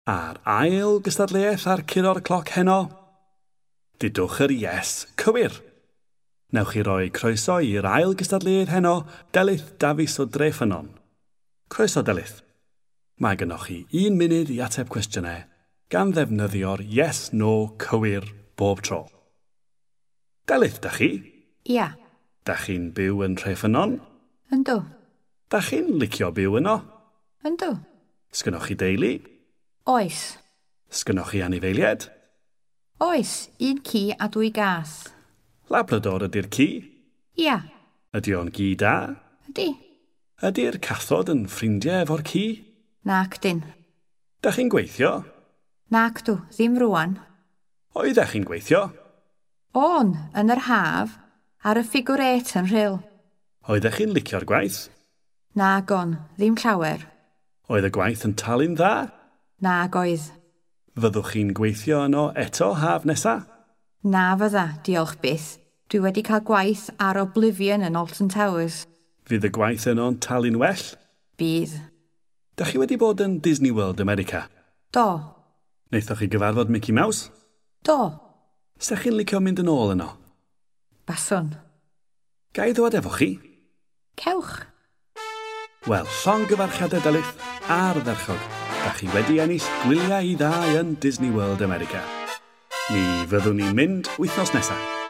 A'r ail gystadleuaeth ar Curo'r Cloc heno? Dudwch yr yes cywir. Newch chi roi croeso i'r ail gystadleuaeth heno, Delyth Dafis o Dreffynnon. Croeso, Delyth. Mae gennoch chi un munud i ateb cwestiynau gan ddefnyddio'r yes no cywir bob tro. Delyth, da chi? Ia. Da chi'n byw yn Treffynnon? Yndw. Da chi'n licio byw yno? Yndw. Sgynnoch chi deulu? Oes. Sgynnoch chi anifeiliaid? Oes, un ci a dwy gath. Labrador ydy'r ci? Ia. Ydy o'n gi da? Ydy. Ydy'r cathod yn ffrindiau efo'r ci? Nac dyn. Da chi'n gweithio? Nac dw, ddim rwan. Oeddech chi'n gweithio? O'n, yn yr haf, ar y figure eight yn Rhyl. Oeddech chi'n licio'r gwaith? Nag on, ddim llawer. Oedd y gwaith yn talu'n dda? Nag oedd. Fyddwch chi'n gweithio yno eto haf nesa? Na fydda, diolch byth. Dwi wedi cael gwaith ar Oblivion yn Alton Towers. Fydd y gwaith yno'n talu'n well? Bydd. Da chi wedi bod yn Disney World America? Do. Wnaethoch chi gyfarfod Mickey Mouse? Do. Sa chi'n licio mynd yn ôl yno? Baswn. Ga i ddod efo chi? Cewch. Wel, llongyfarchiadau, Delyth, ardderchog. Da chi wedi ennill gwyliau i ddau yn Disney World America. Mi fyddwn ni'n mynd wythnos nesaf.